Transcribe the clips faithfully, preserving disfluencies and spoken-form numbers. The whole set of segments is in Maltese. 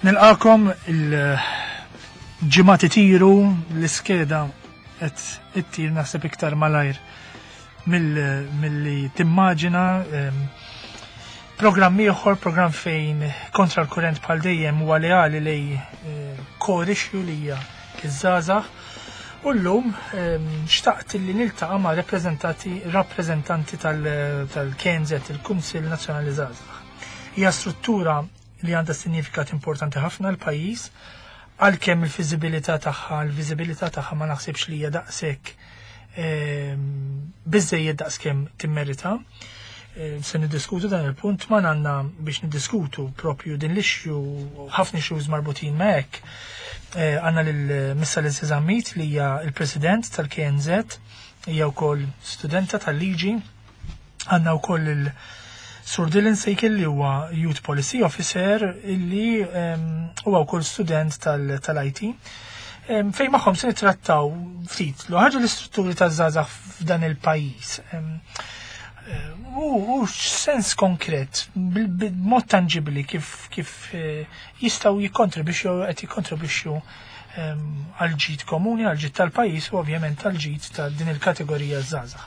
Nilqakom, il-ġimgħat itiru, l-iskeda qed ittir naħseb iktar malajr mill-li timmaġina. Em, Programm ieħor, programm fejn Kontra l-Kurrent bħal dejjem huwa leali lej eh, core issue li hija iż-żgħażagħ. U llum em, xtaqt li niltaqa' ma' rappreżentanti rappreżentanti tal-K N Z, il-Kunsill Nazzjonali Żgħażagħ. Hija struttura li għandha sinifikat importanti ħafna l-pajjiż, għalkemm il-fiżibilità tagħha, l-viżibilità tagħha ma naħsibx li hija daqshekk ehm, biżejjed daqskemm timmerita. Ehm, Se niddiskutu dan il-punt ma għandna biex niddiskutu propju din l-issue, ħafna issues marbutin ma' hekk. Eh, Għandna lil Miss Alessia Zammit li hija il-President tal-K N Z, hija wkoll studenta tal-liġi. Għandna wkoll il- Sur Dylan Sejkel li huwa Youth Policy Officer illi em, huwa wkoll student tal-I T. Em, Fejn magħhom se nittrattaw ftit l ħaġa l-istrutturi taż-żgħażagħ f'dan il-pajjiż. Em, eh, U u sens konkret, bil- b'mod tangibli kif kif eh, jistgħu jikkontribwixxu, qed jikkontribwixxu em, għal ġid komuni, għal ġid tal-pajjiż u ovvjament għal ġid ta' din il-kategorija żgħażagħ.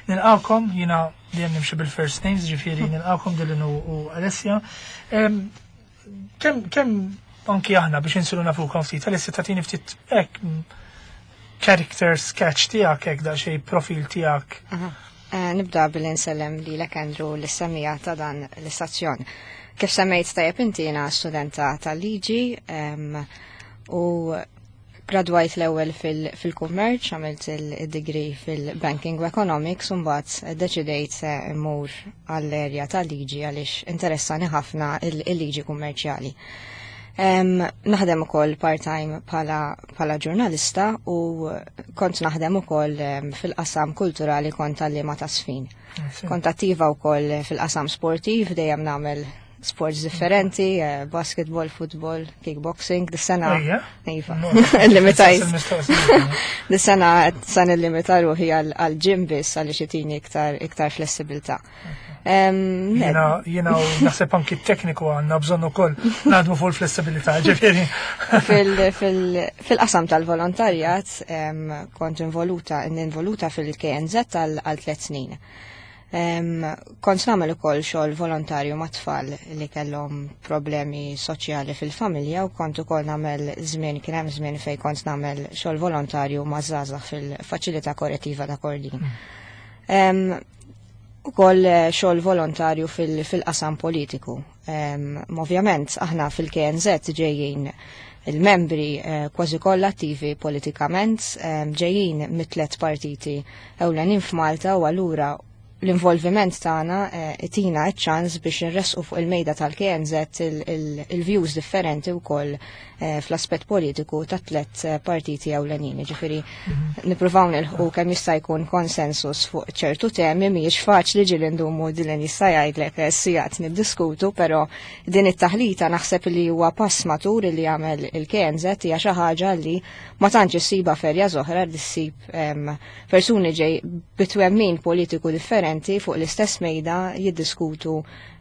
Nilqakom, jina dejjem nimxi bil-first names, ġifieri nilqakom Dylan u, u Alessia. Em, Kemm kem anki aħna biex insiru nafukom ftit, Alessia, tagħtini ftit hekk mm, character sketch tiegħek, hekk daqsxejn profil tiegħek. Aha. Eh, Nibda billi nsellem lilek, Andrew, lis-semmiegħa ta' dan l-istazzjon. Kif semmejt tajjeb inti, jiena studenta tal-liġi em, u gradwajt l-ewwel fil-kummerċ, għamilt il-degree fil-Banking u Economics, u mbagħad deċidejt immur għall-erja tal-liġi għaliex interessani ħafna il-liġi kummerċjali. Naħdem ukoll part-time bħala ġurnalista u kont naħdem ukoll fil-qasam kulturali, kont għalliema ta' żfin. Kont attiva wkoll fil-qasam sportiv, dejjem nagħmel sports differenti, eh, basketball, football, kickboxing, dis-sena. Iva. Limitajt. Dis-sena sa nillimita ruħi għal-gym biss għaliex itini iktar iktar flessibilità. Jena, jena naħseb anki tekniku għandna bżonn ukoll naħdmu fuq il-flessibilità, ġifieri. Fil-qasam tal-volontarjat kont involuta, involuta fil-K N Z għal tliet snin. Kont nagħmel ukoll xogħol volontarju ma' tfal li kellhom problemi soċjali fil-familja u kont ukoll nagħmel żmien, kien hemm żmien fejn kont nagħmel xogħol volontarju ma' żgħażagħ fil-faċilità korrettiva ta' Kordin. Mm. Ukoll eh, xogħol volontarju fil-qasam politiku. Ovvjament aħna fil-K N Z ġejjin il-membri eh, kważi kollha attivi politikament, ġejjin mit-tlet partiti ewlenin f'Malta u allura l-involviment tagħna eh, itina ċ-ċans biex nresqu fuq il-mejda tal-K N Z il-views differenti wkoll eh, fl-aspett politiku ta' tlet eh, partiti ewlenin. Ġifieri mhm. nippruvaw nilħqu kemm jista' jkun konsensus fuq ċertu temi. Mhijiex faċli, ġieli ndumu, Dylan jista' jgħidlek, sigħat niddiskutu, però din it-taħlita naħseb li huwa pass matur li jagħmel il-K N Z, hija xi ħaġa li ma tantx issiba f'erja oħra li ssib persuni ġej bit-twemmin politiku differenti fuq l-istess mejda jiddiskutu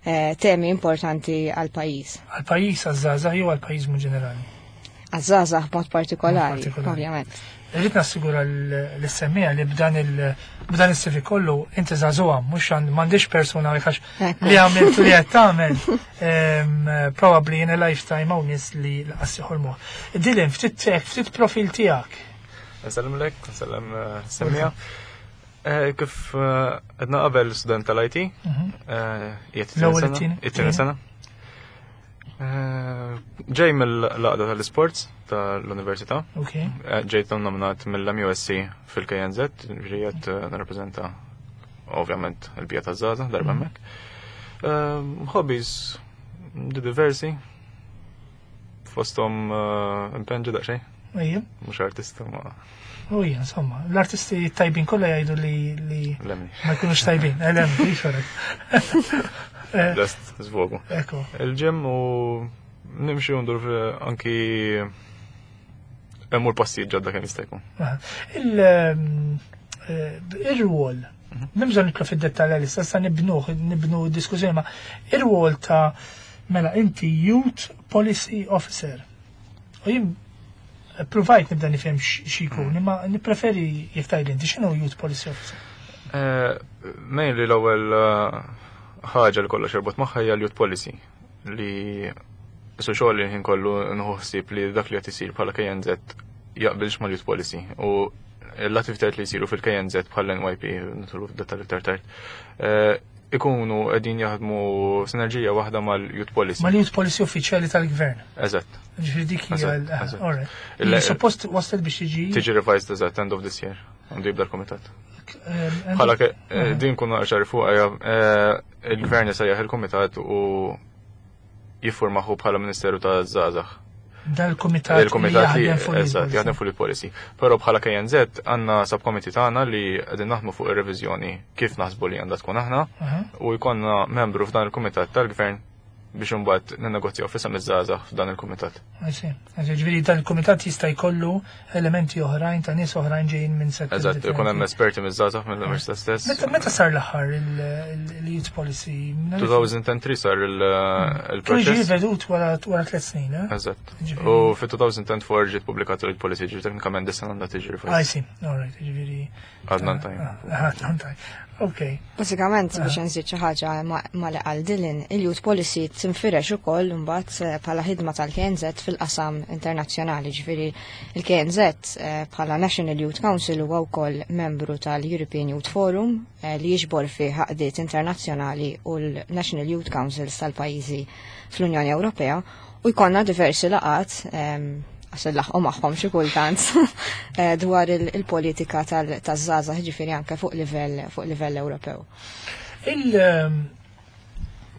eh, temi importanti għal pajjiż. Għal pajjiż, għaż-żgħażagħ jew għal pajjiż mu ġenerali? Għaż-żgħażagħ b'mod partikolari, ovvjament. Irrid nassigura l-semmiegħa li b'dan il- b'dan is-C V kollu inti żagħżugħa, mhux m'għandix persuna għax li għamilt li qed tagħmel probably in a lifetime hawn nies li lanqas joħolmu. Dylan, ftit ftit profil tiegħek. Nsellem lek, nsellem eh, semmiegħa. Eh, kif eh, għedna qabel, student tal-I T, mhm. it-tieni sena. Ġej mill-għaqda tal-sports tal-Università. Ġejt nominat mill-M U S C fil-K N Z, ġejt nirrappreżenta ovvjament il-bija ta' żgħażagħ darba mhm. hemmhekk. Hobbies diversi, fosthom inpinġi daqsxejn. Mhux artista ma. U hija, insomma, l-artisti tajbin kollha jgħidu li li ma jkunux tajbin. Elem, xorek. Just zvogu. Ekku. Il-gym u nimxi ndur anki immur passijiet ġodda kemm jista' jkun. Il-rwol, m'hemm bżonn nidħlu fid-dettalji li sa nibnuh, nibnu diskussjoni, ma ir-rwol ta' Mela, inti Youth Policy Officer. U jien provajt nibda nifhem x'ikun, imma nippreferi jekk tgħid inti x'inhu Youth Policy Officer. Eh, Mainly l-ewwel eh, ħaġa li kollox jorbot magħha hija l-youth policy li su xogħol li ħin kollu nieħu ħsieb li dak li qed isir bħala K N Z jaqbilx mal-youth policy u l-attivitajiet li jsiru fil-K N Z bħal N Y P, nidħlu f'dettall iktar tard, eh, ikunu qegħdin jaħdmu sinerġija waħda mal-youth policy. Mal-Youth Policy uffiċjali tal-Gvern. Eżatt. Ġifieri dik hija Eżatt, l- eżatt. Alright. Il- Li suppost waslet biex tiġi Tiġi revised, eżatt, end of this year. Għandu jibda l-komitat. ehm, Bħala ke- eh, din kunu ċari fuq, eh, il-gvern jsejjaħ il-komitat u jiffurmahu bħala Ministeru ta' Żgħażagħ. Dal-komitat Il-komitat li jaħdem fuq il- eżatt, jaħdem fuq il-policy. Però bħala K N Z għandna subcommittee tagħna li qegħdin naħdmu fuq ir-reviżjoni kif naħsbu li għandha tkun aħna Aha. u jkollna membru f'dan il-kumitat tal-gvern biex imbagħad ninnegozjaw f'isem iż-żgħażagħ f'dan il-kumitat. I see. I see. Ġifieri dan il-komitat jista' jkollu elementi oħrajn ta' nies oħrajn ġejjin minn settur Eżatt, ikun hemm differenti. esperti miż-żgħażagħ mill-università stess. Meta meta sar l-aħħar il-youth policy? elfejn u tlieta sar il- Kien ġie il-proċess. rivedut wara wara tliet snin, eh? Eżatt. Ġifieri- U fi elfejn u erbgħa ġiet pubblikata il-policy, ġifieri teknikament dis-sena għandha tiġi I revised. see. All right, ġifieri. Għadna tajn. Ah, għadna tajn. Ok. Basikament, biex nżid xi ħaġa ma ma li qal Dylan, il-youth policy tinfirex ukoll imbagħad eh, bħala ħidma tal-K N Z fil-qasam internazzjonali, ġifieri il-K N Z eh, bħala National Youth Council huwa wkoll membru tal-European Youth Forum eh, li jiġbor fih għaqdiet internazzjonali u l-National Youth Councils tal-pajjiżi fl-Unjoni Ewropea u jkollna diversi laqat em, għax laħqu magħhom xi kultant eh, dwar il- il-politika tal-żgħażagħ, ġifieri anke fuq livell fuq livell Ewropew. Il ehm,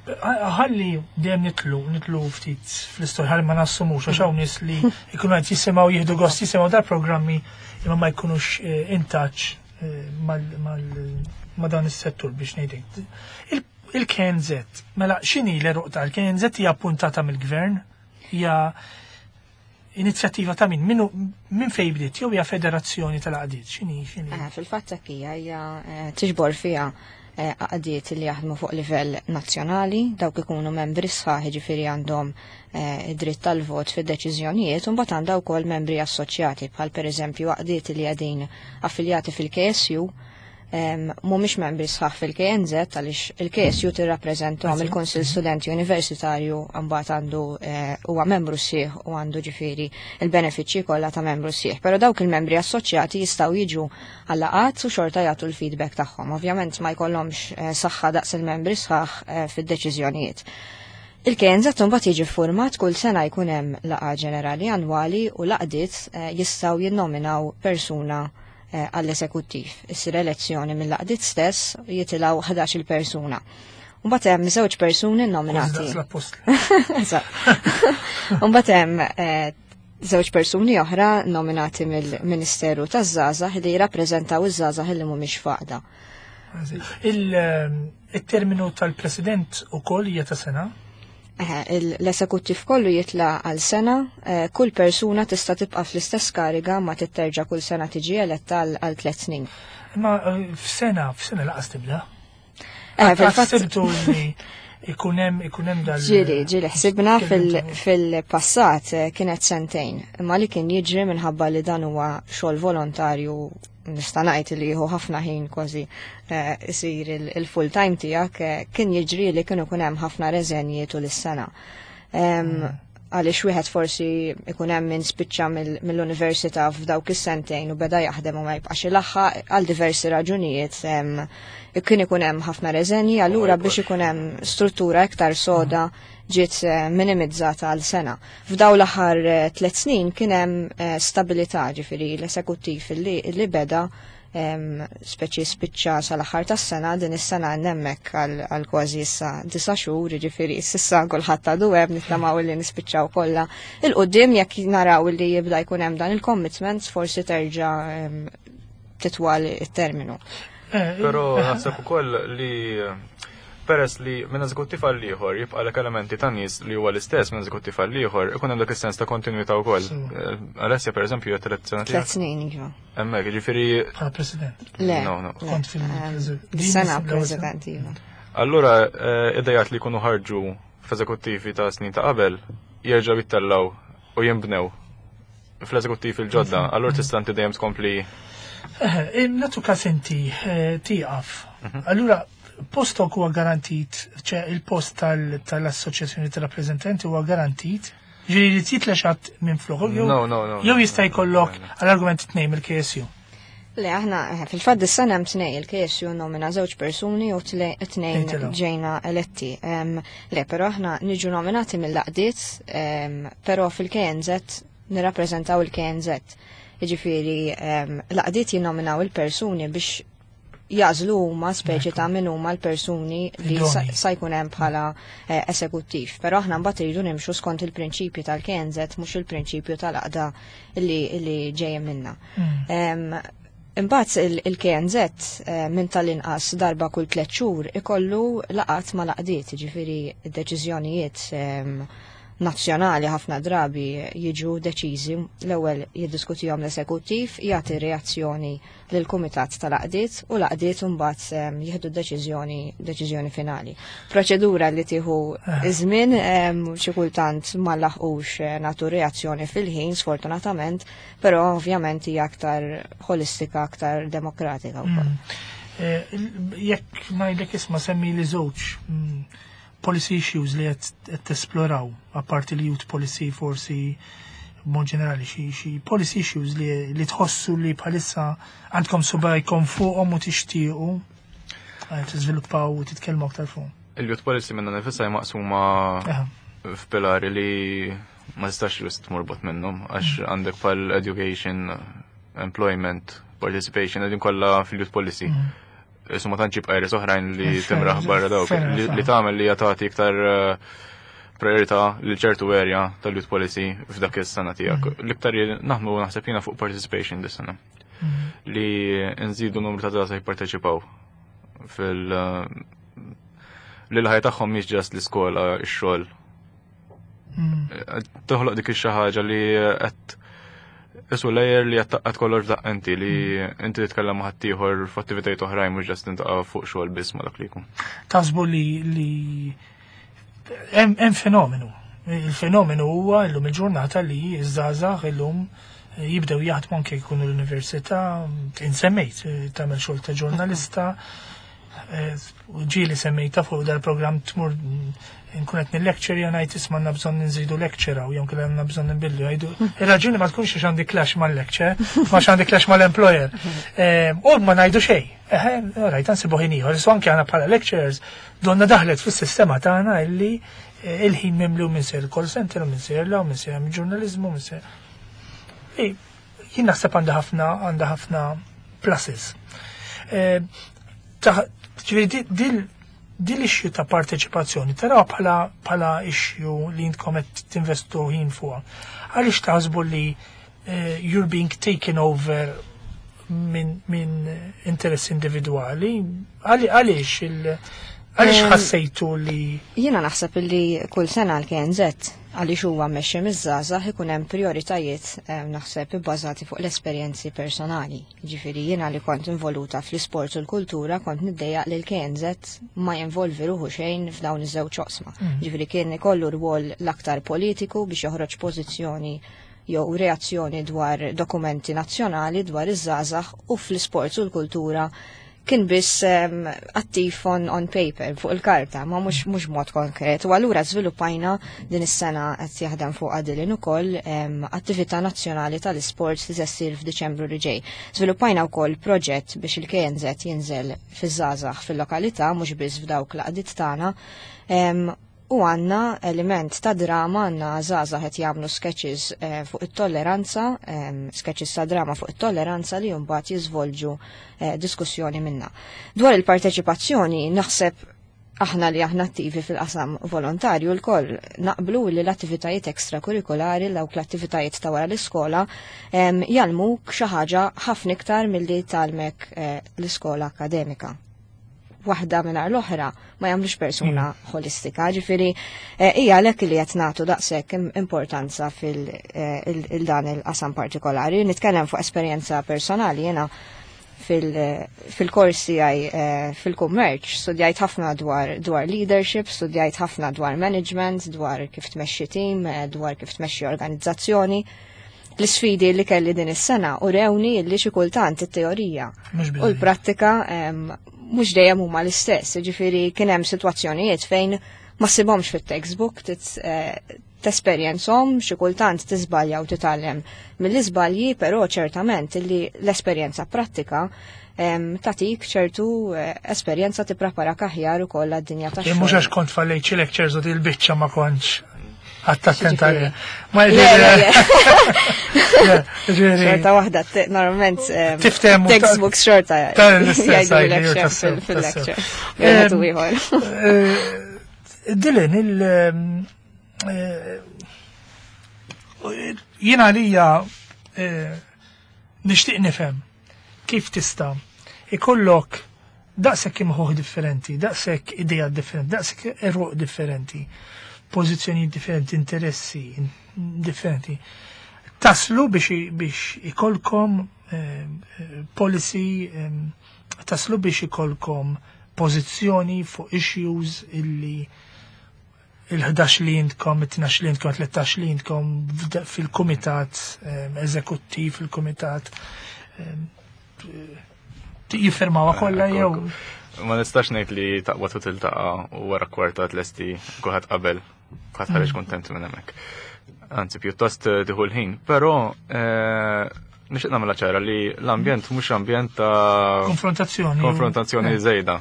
ħalli dejjem nidħlu, nidħlu ftit fl-istorja, ħalli ma nassumux, għax hawn nies li jkunu qed jisimgħu, jieħdu gost jisimgħu dal-programmi imma ma jkunux eh, in touch eh, mal- mal- ma' dan is-settur, biex ngħidlek. Il- Il-K N Z, mela x'inhi l-għeruq tal-K N Z? Hija appuntata mill-gvern? Hija inizjattiva ta' min? Minu min fejn bdiet? Jew hija federazzjoni tal-għaqdiet? X'inhi x'inhi? Eh, Fil-fatt hekk hija hija eh, tiġbor fiha eh, għaqdiet li jaħdmu fuq livell nazzjonali, dawk ikunu membri sħaħ, ġifieri għandhom eh, id-dritt tal-vot fid-deċiżjonijiet, u mbagħad għandha wkoll membri assoċjati, bħal pereżempju għaqdiet li qegħdin affiljati fil-K S U em, mhumiex membri sħaħ fil-K N Z għaliex il-K S U tirrappreżentahom il-Kunsill Studenti Universitarju, mbagħad għandu eh, huwa membru sħiħ u għandu ġifieri il-benefiċċji kollha ta' membru sħiħ. Però dawk il-membri assoċjati jistgħu jiġu għal-laqgħat u xorta jagħtu l-feedback tagħhom. Ovvjament ma jkollhomx eh, saħħa daqs il-membri sħaħ eh, fid-deċiżjonijiet. Il-K N Z mbagħad jiġi format kull sena, jkun hemm laqgħa ġenerali annwali u l-għaqdiet eh, jistgħu jinnominaw persuna eh, għall-esekuttiv. Issir elezzjoni mill-għaqdiet stess, jitilgħu ħdax-il persuna. Mbagħad hemm żewġ persuni nominati. Daqs l-appostli. Eżatt. Mbagħad hemm eh, żewġ persuni oħra nominati mill-Ministeru taż-Żgħażagħ li jirrappreżentaw iż-żgħażagħ li mhumiex f'għaqda. Il- ehm, Il-terminu tal-president ukoll hija ta' sena? Eħe, il- L-esekuttiv kollu jitla għal sena, eh, kull persuna tista' tibqa' fl-istess kariga ma titterġa' kull sena tiġi eletta għal għal tliet snin. Imma eh, f'sena, f'sena lanqas tibda. Eh, fil-fatt Ħsibtu li ikun hemm ikun hemm dal. Ġieli, ġieli, ħsibna fil- Kellimtu. fil-passat eh, kienet sentejn, imma li kien jiġri minħabba li dan huwa xogħol volontarju, nista' ngħid li jieħu ħafna ħin, kważi eh, isir il-full time tiegħek, eh, kien jiġri li kienu kun hemm ħafna reżenji tul is-sena. Em, Għaliex wieħed forsi ikun hemm min spiċċa mill- mill-università f'dawk is-sentejn u beda jaħdem u ma jibqax ilaħħaq għal diversi raġunijiet. em, Kien ikun hemm ħafna reżenji, allura biex ikun hemm struttura iktar soda ġiet eh, minimizzata għal sena. F'daw l-aħħar eh, tliet snin kien hemm eh, stabilità, ġifieri l-esekuttiv li, li beda em, speċi spiċċa sal-aħħar tas-sena, din is-sena hemmhekk għal għal kważi issa disa' xhur, ġifieri s'issa kulħadd għadu hemm, nittamaw li nispiċċaw kollha. 'Il quddiem jekk naraw li jibda jkun hemm dan il-commitments, forsi terġa' em, titwal it-terminu. Eh, Però eh, naħseb ukoll li peress li minn eżekuttiv għal ieħor jibqa' lek elementi ta' nies li huwa l-istess minn eżekuttiv għal ieħor, ikun hemm dak is-sens ta' kontinwità wkoll. So. Eh, Alessia, pereżempju, hija tliet sena Tliet snin, iva. Hemmhekk, jiġifieri Bħala president. Le. No, no. Le, Kont fil- em, din Sena l-ewwel sena. president, iva. Allura eh, idejat li jkunu ħarġu f'eżekuttivi ta' snin ta' qabel jerġgħu jittellgħu u jinbnew fl-eżekuttivi l-ġodda, allura tista' inti dejjem tkompli. Eh, nagħtu każ inti eh, tieqaf. Mhm. Allura postok huwa garantit, ċe il-post tal-assoċjazzjoni tal-rappreżentanti huwa garantit, ġifieri li titlex minn flok, No, no, no. Jew jista' jkollok għall-argument tnejn mill-K S U. Le, aħna, eh, fil-fatt dis-sena hemm tnejn, il-K S U nomina żewġ persuni u tnejn ġejna eletti. Le, però aħna niġu nominati mill-għaqdiet, però fil-K N Z nirrappreżentaw il-K N Z. Jiġifieri l-għaqdiet jinnominaw il-persuni biex jagħżlu huma speċi ta' min huma l-persuni li sa jkun hemm bħala eh, esekuttiv. Però aħna mbagħad iridu nimxu skont il-prinċipju tal-K N Z, mhux il-prinċipju tal-għaqda li, li ġejjem minna. Mm. Imbagħad il-K N Z eh, minn tal-inqas darba kull tliet xhur ikollu laqat ma' l-għaqdiet, ġifieri deċiżjonijiet nazzjonali ħafna drabi jiġu deċiżi, l-ewwel jiddiskutihom l-esekuttiv, jagħti reazzjoni lil kumitat tal-għaqdiet u l-għaqdiet mbagħad jieħdu deċiżjoni deċiżjoni finali. Proċedura li tieħu eh. iż-żmien, xi kultant ma laħqux eh, nagħtu reazzjoni fil-ħin, sfortunatament, però ovvjament hija aktar holistika, aktar demokratika wkoll. Mm. Eh, jekk ngħidlek, isma', semmi li żewġ mm, policy issues li qed tesploraw, apparti li youth policy, forsi mod ġenerali xi xi policy issues li, li tħossu li bħalissa għandkom subajkom fuqhom u tixtiequ eh, tiżviluppaw u titkellmu aktar fuq. Il-youth policy minna nifisha maqsuma f'pilari li ma tistax just tmur bogħod minnhom, għax mm. għandek pal education, employment, participation, għedin kollha fil-youth policy. Mm. Isu ma tantx jibqa' oħrajn li timraħ barra dawk li tagħmel li jagħti iktar eh, priorità li ċertu area tal-youth policy f'dak is-sena tiegħek. Mm. L-iktar naħdmu, naħseb jiena, fuq participation dis-sena. Mm. Li nżidu numru ta' żgħażagħ jipparteċipaw fil- li l-ħajja tagħhom mhix just l-iskola, ix-xogħol. Mm. Toħloq dik ix-xi ħaġa li qed Isu layer li għattaqqat kollox f'daqqa inti li inti titkellem ma' ħaddieħor f'attivitajiet oħrajn, mhux just tintaqa' fuq xogħol biss ma' dak li jkun. Taħsbu li li hemm fenomenu. Il-fenomenu huwa llum il-ġurnata li iż-żgħażagħ illum jibdew jaħdmu anke jkunu l-università, insemmejt tagħmel xogħol ta' ġurnalista, eh, ġieli semmejta fuq dal-programm, tmur nkun qed nil-lecture jien, ngħid, "Isma', għandna bżonn nżidu lecture u jew kellha għandna bżonn nbillu." Jgħidu, ir-raġuni ma tkunx għax għandi clash mal-lecture, ma għandi clash mal-employer. Eh, u ma ngħidu xejn. Rajt, nsibu ħin ieħor. So anke għandna bħala lecturers donna daħlet fis-sistema tagħna illi eh, il-ħin mimlu minn ser call center, minn ser law, minn ser ġurnalizmu, minn ser. Jien naħseb għandha ħafna għandha ħafna pluses. Eh, ġifieri dil din l-issue ta' parteċipazzjoni taraw bħala bħala issue li intkom qed tinvestu ħin fuqha? Għaliex taħsbu li uh, you're being taken over minn min interess individwali? Għaliex il għaliex ħassejtu li Jiena naħseb li kull sena l-K N Z, għaliex huwa mmexxi miż-żgħażagħ, ikun hemm prioritajiet naħseb ibbażati fuq l-esperjenzi personali. Ġifieri jiena li kont involuta fl-isport u l-kultura kont niddejjaq li l-K N Z ma jinvolvi ruħu xejn f'dawn iż-żewġ oqsma. Mm. Ġifieri kien ikollu rwol l-aktar politiku biex joħroġ pożizzjoni jew reazzjoni dwar dokumenti nazzjonali dwar iż-żgħażagħ, u fl-isport u l-kultura kien biss um, attiv on, on paper, fuq il-karta, ma mhux mhux mod konkret. U allura żviluppajna din is-sena, qed jaħdem fuq għadilin ukoll um, attività nazzjonali tal-isports li se ssir f'Diċembru li ġej. Żviluppajna wkoll proġett biex il-K N Z jinżel fiż-żgħażagħ fil-lokalità, mhux biss f'dawk l-għaqdiet tagħna. Um, u għanna element ta' drama, għanna żgħażagħ qed jagħmlu sketches eh, fuq it-tolleranza, eh, sketches ta' drama fuq it-tolleranza li mbagħad jiżvolġu eh, diskussjoni minna. Dwar il-parteċipazzjoni, naħseb aħna li aħna attivi fil-qasam volontarju l-koll naqblu li l-attivitajiet ekstrakurrikulari, dawk l-attivitajiet ta' wara l-iskola, jgħallmuk xi ħaġa ħafna iktar milli tgħallmek eh, l-iskola akademika. Waħda mingħajr l-oħra ma jagħmlux persuna mm. holistika. Ġifieri eh, hija għalhekk li qed nagħtu daqshekk importanza fil-dan eh, il-qasam partikolari. Nitkellem fuq esperjenza personali, jiena Fil-kors tiegħi eh, fil-kummerċ studjajt ħafna dwar dwar leadership, studjajt ħafna dwar management, dwar kif tmexxi team, eh, dwar kif tmexxi organizzazzjoni. L-isfidi li kelli din is-sena urewni li xi kultant it-teorija u l-prattika mhux dejjem huma l-istess, ġifieri kien hemm sitwazzjonijiet fejn ma ssibhomx fit-textbook, eh, tesperjenzhom, xi kultant tiżbalja u titgħallem mill-iżbalji, però ċertament li l-esperjenza prattika tatik ċertu eh, esperjenza, tippreparak aħjar ukoll għad-dinja tax. Mhux għax kont fallejt xi lectures u dil-biċċa ma kontx għadt attenta. Ma xorta waħda, normalment Tiftehmu. Textbooks xorta jgħidulek fil-lecture. Eh, Dylan, il- eh, jiena għalija eh, nixtieq nifhem kif tista' ikollok daqshekk imħuħ differenti, daqshekk idea differenti, daqshekk eruq differenti, pożizzjoni differenti, interessi differenti. Taslu biex biex ikollkom eh, policy, eh, taslu biex ikolkom pożizzjoni fuq issues illi il-ħdax li intkom, il-tnax li intkom, tlettax li intkom fil-komitat eżekuttiv, fil-komitat jiffirmaw kollha jew. Ma nistax ngħid li taqbad u tiltaqa' u wara kwarta tlesti, kulħadd qabel, kulħadd ħareġ mm. kontent minn hemmhekk. Anzi, pjuttost eh, tieħu l-ħin, però eh, nixtieq nagħmilha ċara li l-ambjent mhux ambjent ta' konfrontazzjoni. Konfrontazzjoni eh. żejda.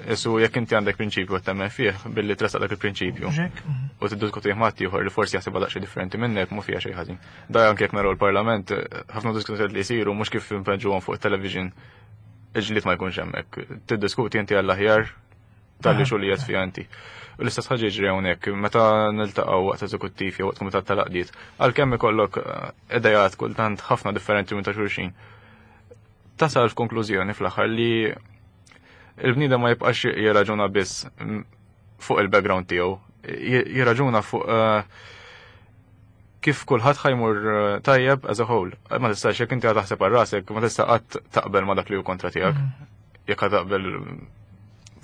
Isu jekk inti għandek prinċipju temmen fih billi tressaq dak il-prinċipju. Mhm. U tiddiskutih ma' ieħor li forsi jaħsibha daqsxejn differenti minnek, mhu fiha xejn ħażin. Da anke jekk naraw il-Parlament, ħafna diskussjonijiet li jsiru mhux kif impenġuhom fuq television, il-ġlied ma jkunx hemmhekk. Tiddiskuti inti għall-aħjar tal-li xu li qed fiha inti. U l-istess ħaġa jiġri hawnhekk meta niltaqgħu waqt eżekuttiv jew waqt kumitat tal-għaqdiet, għalkemm ikollok eh, idejat kultant ħafna differenti minn ta' xulxin. Tasal f'konklużjoni fl-aħħar li il-bniedem ma jibqax jirraġuna biss fuq il-background tiegħu, jirraġuna fuq eh, kif kulħadd ħa jmur eh, tajjeb as a whole. Ma tistax, jekk inti taħseb għal rasek, ma tista' qatt taqbel ma dak li hu kontra tiegħek. Mm. Jekk taqbel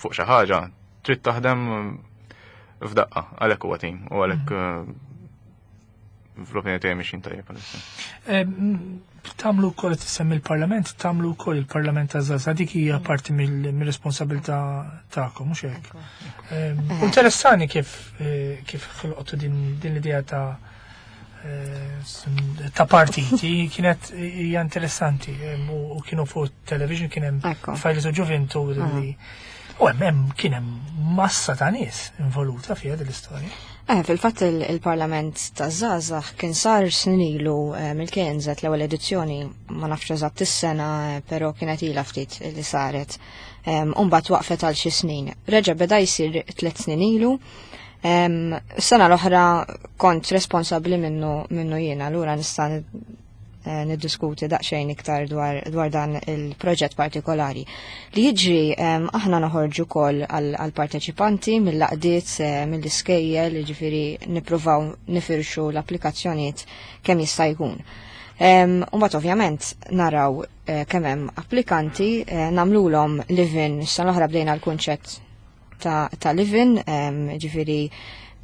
fuq xi ħaġa, trid taħdem f'daqqa, għalhekk huwa tim u għalhekk mm. eh, fl-opinjoni tiegħi mixin tajjeb għalissa. Tagħmlu wkoll, tissemmi il-Parlament, tagħmlu wkoll il-Parlament taż-Żgħażagħ, dik hija parti mill-responsabilità tagħkom, mhux hekk? Interessani kif eh, kif ħolqotu din l-idea ta' eh, ta' partiti, kienet hija interessanti u kienu fuq television, kien hemm fajli ġuventu li u hemm kien hemm massa ta' nies involuta fiha din l-istorja. Eh, fil-fatt il-Parlament taż-Żgħażagħ kien sar snin ilu eh, mill-K N Z l-ewwel edizzjoni, ma nafx eżatt is-sena, eh, però kienet ilha ftit li saret. Umbagħad waqfet għal xi snin. Reġa' beda jsir tliet snin ilu. Sena l-oħra kont responsabbli minnu minnu jiena, allura nista' Eh, niddiskuti daqsxejn iktar dwar, dwar dan il-proġett partikolari. Li jiġri, aħna noħorġu kol għal-parteċipanti mill-għaqdiet, eh, mill-iskejjel, ġifieri nippruvaw nifirxu l-applikazzjonijiet kemm jista' jkun. Umbagħad ovvjament naraw eh, kemm hemm applikanti, nagħmlulhom live-in, sena l-oħra bdejna l-kunċett ta', ta live-in, ġifieri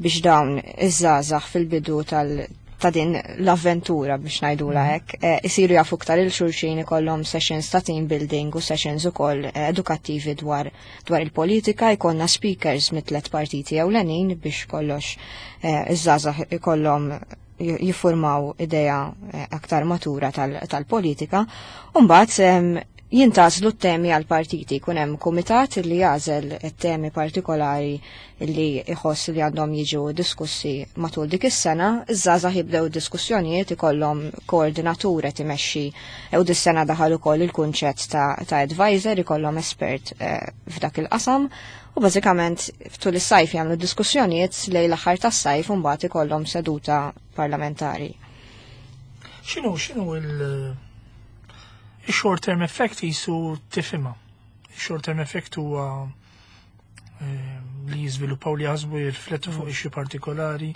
biex dawn iż-żgħażagħ fil-bidu tal ta' din l-avventura, biex ngħidula mhm. hekk, eh, isiru jafu iktar lil xulxin, ikollhom sessions ta' team building u sessions ukoll eh, edukattivi dwar dwar il-politika, jkollna speakers mit-tlet partiti ewlenin biex kollox eh, iż-żgħażagħ ikollhom jiffurmaw idea aktar matura tal-politika. Umbagħad jintgħażlu t-temi għal partiti, kun hemm kumitat li jagħżel temi partikolari li jħoss li għandhom jiġu diskussi matul dik is-sena, iż-żgħażagħ jibdew diskussjonijiet, ikollhom koordinatur qed imexxi, u dis-sena daħal ukoll il-kunċett ta', ta advisor, ikollhom espert eh, f'dak il-qasam u bażikament tul is-sajf jagħmlu diskussjonijiet lejn l-aħħar tas-sajf u mbagħad ikollhom seduta parlamentari. X'inhu x'inhu il- il-short term effect jisu tifhimha? Il-short term effect huwa eh, li jiżviluppaw, li jaħsbu, jirriflettu fuq issue partikolari,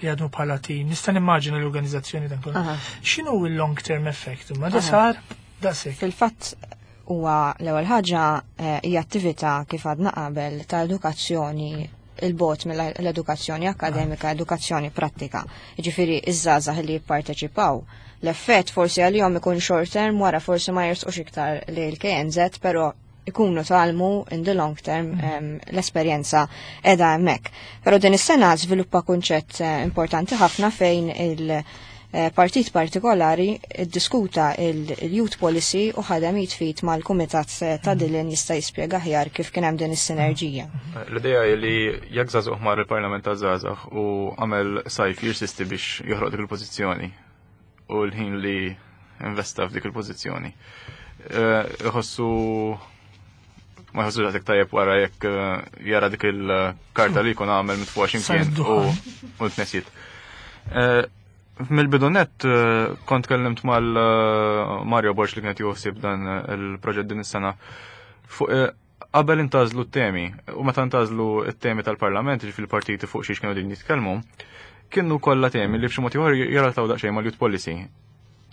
li għadmu bħala team. Nista' nimmaġina l-organizzazzjoni dan kollu. X'inhu il-long term effect? Ma da sar da sek. Fil-fatt huwa l-ewwel ħaġa eh, hija attività kif għadna qabel ta' edukazzjoni il-bot mill-edukazzjoni akademika, edukazzjoni prattika. Jiġifieri iż-żgħażagħ li jipparteċipaw. L-effett forsi għalihom ikun short term wara forsi ma jersqux iktar li l-K N Z, però ikunu tgħallmu in the long term em, l-esperjenza edha hemmhekk. Però din is-sena żviluppa kunċett eh, importanti ħafna fejn il- eh, partit partikolari ddiskuta il-youth policy u ħadem jitfit mal-kumitat eh, ta' Dylan jista' jispjega aħjar kif kien hemm din is-sinerġija. L-idea hi li jekk żagħżugħ mar il-Parlament taż-żgħażagħ u għamel sajf jirsisti biex joħroq dik il-pożizzjoni u l-ħin li investa f'dik il-pożizzjoni. Eh, Iħossu ma jħossu daqshekk tajjeb wara jekk eh, jara dik il-karta li jkun għamel mitfuqa x'imkien u u tnesiet. Eh, Mill-bidu nett eh, kont kellimt mal eh, Mario Borg li kienet joħsib dan il-proġett din is-sena fuq eh, qabel intgħażlu t-temi u meta ntgħażlu t-temi tal-Parlament, ġifieri partiti fuq xiex kienu din jitkellmu, kienu kollha temi li b'xi mod ieħor jirrelataw daqsxejn mal-youth policy.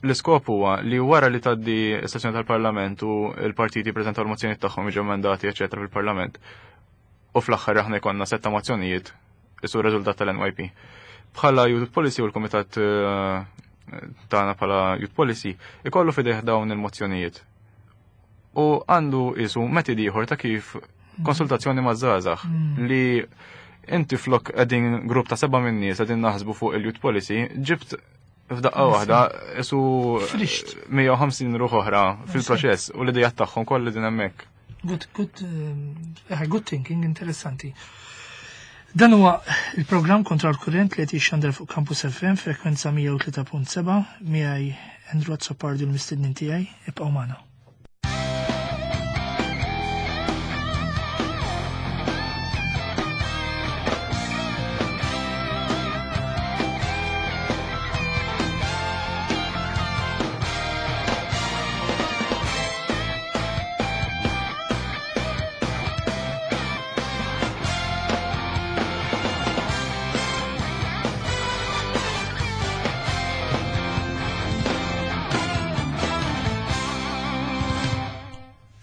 L-iskop huwa li wara li tgħaddi s-sessjoni tal-Parlament u l-partiti preżentaw l-mozzjonijiet tagħhom, jiġu emendati, eċetera, fil-Parlament. U fl-aħħar aħna jkollna setta mozzjonijiet isu r-riżultat tal-N Y P. Bħala Youth Policy u l-Kumitat eh, tagħna bħala Youth Policy ikollu fideh dawn il-mozzjonijiet. U għandu isu metodi ieħor ta' kif konsultazzjoni ma' żgħażagħ li inti flok qegħdin grupp ta' seba' minn nies qegħdin naħsbu fuq il-youth policy, ġibt f'daqqa waħda isu Frixt. mija u ħamsin ruħ oħra fil-proċess u l-idejat tagħhom kollha din hemmhekk. Good, good, eh, good thinking, interessanti. Dan huwa il-programm Kontra l-Kurrent li qed jixxandar fuq Campus F M frekwenza mija u tlieta punt seba' miegħi Andrew Azzopardi u l-mistednin tiegħi. Ibqgħu magħna.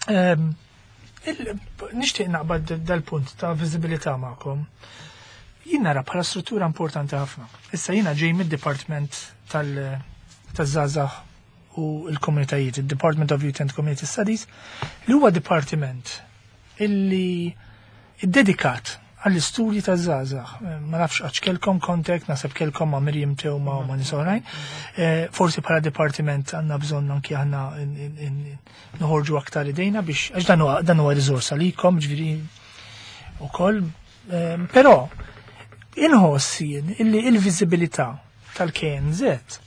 Ehm, il- Nixtieq naqbad dal-punt ta' viżibilità magħkom. Jien nara bħala struttura importanti ħafna. Issa jiena ġej mid-Dipartiment tal- taż-żgħażagħ u l-komunitajiet, il-Department of Youth and Community Studies, li huwa dipartiment illi iddedikat għall-istudji taż-żgħażagħ. Ma nafx għax kellkom contact, naħseb kellkom ma' Miriam Teuma u ma' nies oħrajn. Eh, Forsi bħala dipartiment għandna bżonn anki aħna in- in- in- noħorġu aktar idejna biex, għax dan huwa dan huwa riżorsa likom, ġifieri ukoll. Eh, Però inħoss jien illi il-viżibilità tal-K N Z,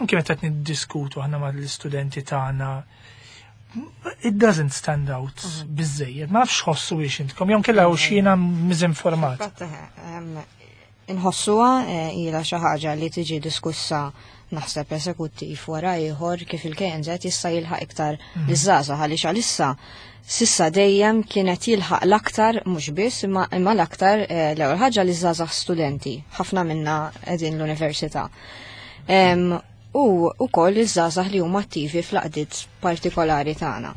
anke meta qed niddiskutu aħna mal-istudenti tagħna, it doesn't stand out biżejjed. Ma nafx ħossu biex intkom, jew kella u xina miżinformat. Fatt, em, Inħossuha eh, ilha xi ħaġa li tiġi diskussa naħseb esekuttiv wara ieħor kif il-K N Z jista' jilħaq iktar liż-żgħażagħ, għaliex għalissa sissa dejjem kienet jilħaq l-aktar, mhux biss imma imma l-aktar eh, l-ewwel ħaġa liż-żgħażagħ studenti, ħafna minna qegħdin l-università. Em, U ukoll iż-żgħażagħ li huma attivi fl-għaqdiet partikolari tagħna.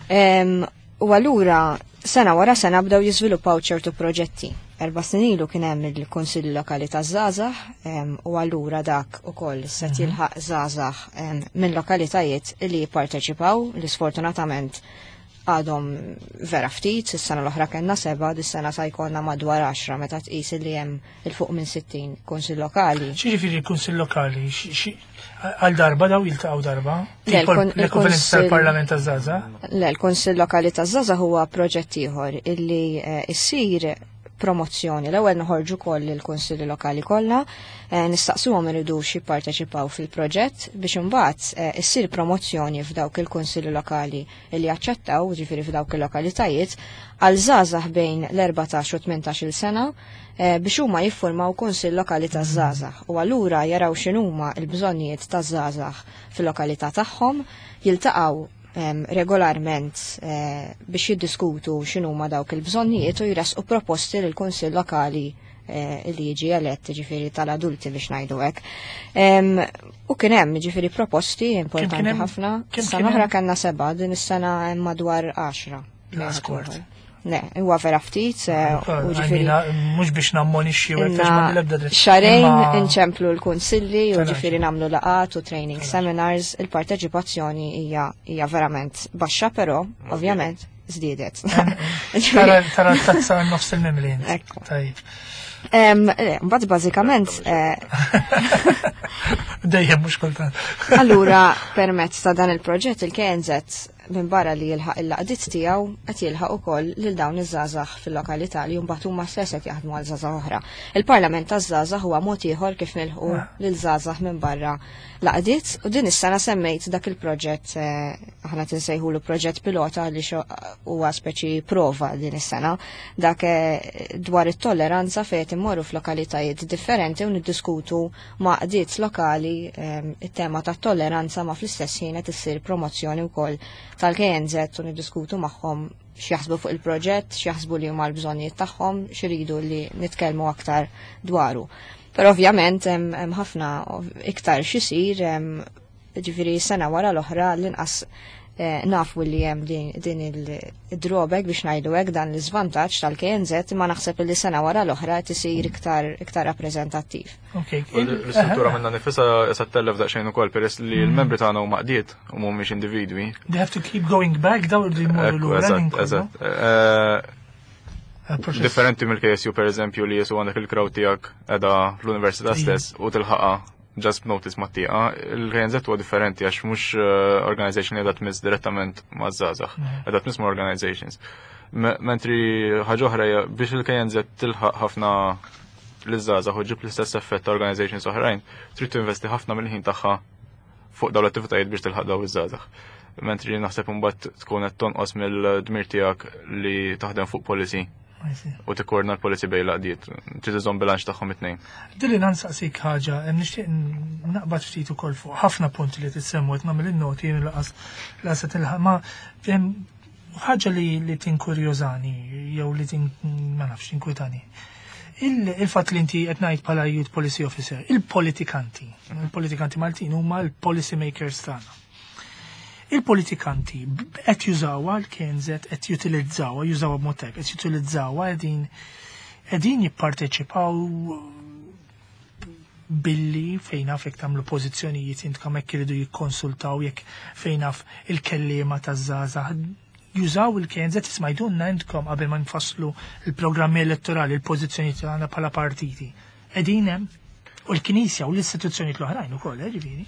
Em, U allura sena wara sena bdew jiżviluppaw ċertu proġetti. Erba' snin ilu kien hemm il-Kunsill Lokali taż-Żgħażagħ em, u allura dak ukoll se jilħaq żgħażagħ em, minn lokalitajiet li jipparteċipaw, li sfortunatament għadhom vera ftit. Is-sena l-oħra kellna seba', dis-sena sa jkollna madwar għaxra meta tqis li hemm il fuq minn sittin kunsill lokali. X'jiġifieri l-Kunsill Lokali? Xi- xi- Għal darba daw jiltaqgħu darba? Le, Tipo l-kun- l-ekwivalent il-Kunsill- tal-Parlament taż-żgħażagħ? Le, l-Kunsill Lokali taż-Żgħażagħ huwa proġett ieħor illi eh, issir promozzjoni. L-ewwel noħorġu koll il-kunsilli lokali kollha, eh, nistaqsuhom iridux jipparteċipaw fil-proġett biex imbagħad eh, issir promozzjoni f'dawk il-kunsilli lokali li jaċċettaw, ġifieri f'dawk il-lokalitajiet, għal żgħażagħ bejn l-erbatax u tmintax-il sena eh, biex huma jiffurmaw kunsill lokali taż-żgħażagħ u allura jaraw x'inhuma l-bżonnijiet taż-żgħażagħ fil-lokalità tagħhom, jiltaqgħu em, regolarment eh, biex jiddiskutu x'inhuma dawk il-bżonnijiet u jresqu proposti lil kunsill lokali li jiġi elett, ġifieri tal-adulti biex ngħidu hekk. U kien hemm ġifieri proposti importanti ħafna. Sena oħra kellna seba', din is-sena hemm madwar għaxra. Le, huwa vera ftit, u ġifieri mhux biex nammonixxi u hekk ma l-ebda dritt. Xahrejn inċemplu l-kunsilli u ġifieri nagħmlu laqgħat u training seminars, il-parteċipazzjoni hija hija verament baxxa, però ovvjament żdiedet. Tara tara tazza nofs il-mimlin. Tajjeb. Mbagħad bażikament dejjem mhux kultant. Allura permezz ta' dan il-proġett il-K N Z minn barra li jilħaq il-laqdiet tiegħu qed jilħaq ukoll lil dawn iż-żgħażagħ fil-lokalità li mbagħad huma stess qed jaħdmu għal żgħażagħ oħra. Il-Parlament taż-żgħażagħ huwa mod ieħor kif nilħqu lil żgħażagħ minn barra laqdiet, u din is-sena semmejt dak il-proġett, aħna tinsejħulu proġett pilota li huwa speċi prova din is-sena, dak dwar it-tolleranza fejn qed immorru f'lokalitajiet differenti u niddiskutu ma' qdiet lokali it-tema tat-tolleranza, ma fl-istess ħin qed issir promozzjoni wkoll tal-K N Z u niddiskutu magħhom x'jaħsbu fuq il-proġett, x'jaħsbu li huma l-bżonnijiet tagħhom, x'iridu li nitkellmu aktar dwaru. Però ovvjament hemm ħafna iktar x'isir, ġifieri sena wara l-oħra l-inqas nafu li hemm din il-drawback biex ngħidu hekk, dan l-iżvantaġġ tal-K N Z, imma naħseb li sena wara l-oħra qed isir iktar iktar rappreżentattiv. L-istruttura minna nifisha se tellef daqsxejn ukoll peress li l-membri tagħna huma qdiet u mhumiex individwi. They have to keep going back daw li jmorru lura. Eżatt, eżatt. Differenti mill-K S U per eżempju li jisu għandek il-crowd tiegħek qiegħda fl-università stess u tilħaqha just notice ma tieqa, il-K N Z huwa differenti għax mhux organization li qiegħda tmiss direttament maż-żgħażagħ, qiegħda tmiss ma' organizations. Mentri ħaġa oħra hija biex il-K N Z tilħaq ħafna liż-żgħażagħ u ġib l-istess effett ta' organizations oħrajn, trid tinvesti ħafna mill-ħin tagħha fuq dawn l-attivitajiet biex tilħaq dawn iż-żgħażagħ. Mentri naħseb imbagħad tkun qed tonqos mill-dmir tiegħek li taħdem fuq policy u tikkoordina l-policy bejn l-għaqdiet, trid iżomm bilanċ tagħhom it-tnejn. Dilli nansaqsik ħaġa, nixtieq naqbad ftit ukoll fuq ħafna punti li tissemmu qed nagħmel in-noti jien laqas laqas qed nilħaq, ma hemm ħaġa li li tinkurjużani jew li tin ma nafx tinkwitani. Il-fatt li inti qed ngħid bħala Youth Policy Officer, il-politikanti, il-politikanti Maltin huma l-policy makers tagħna. Il-politikanti qed jużawha l-K N Z, qed jutilizzawha, jużawha b'mod tajjeb, qed jutilizzawha qegħdin qegħdin jipparteċipaw billi fejn naf jekk tagħmlu pożizzjonijiet intkom hekk iridu jikkonsultaw jekk fejn naf il-kelliema taż-żgħażagħ jużaw il-K N Z isma' jdunna intkom qabel ma nfasslu il-programmi elettorali, il-pożizzjonijiet tagħna bħala partiti. Qegħdin hemm u l-Knisja u l-istituzzjonijiet l-oħrajn ukoll, eh, ġifieri.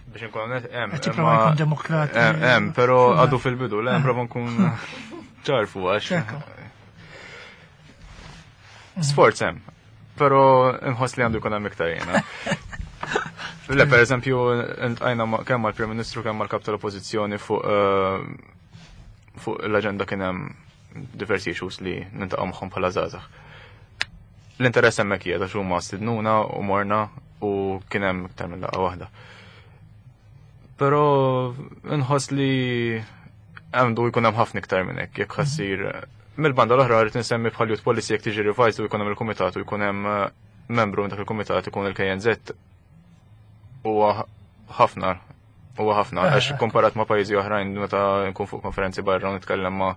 Biex nkun onest, hemm, Qed tipprova imma jkun demokratiku. Hemm, hemm, però għadu fil-bidu, le, prova nkun ċarfu għax. Sforz hemm, però nħoss li għandu jkun hemm iktar jiena. Le, per eżempju, ntqajna ma-, kemm mal-Prim Ministru kemm mal-Kap tal-Oppożizzjoni fuq, eh, fuq l-aġenda kien hemm diversi issues li nintaqgħu magħhom bħala żgħażagħ. L-interess hemmhekk qiegħed għax huma stidnuna u morna u kien hemm iktar minn laqgħa waħda. Però nħoss li għandu jkun hemm ħafna iktar minn hekk jekk ħassir. Mill-banda l-oħra rrid insemmi bħal Youth Policy jekk tiġi revised u jkun hemm il-kumitat u jkun hemm membru minn dak il-kumitat ikun il-K N Z huwa ħafna, huwa ħafna, għax komparat ma' pajjiżi oħrajn meta nkun fuq konferenzi barra u nitkellem ma'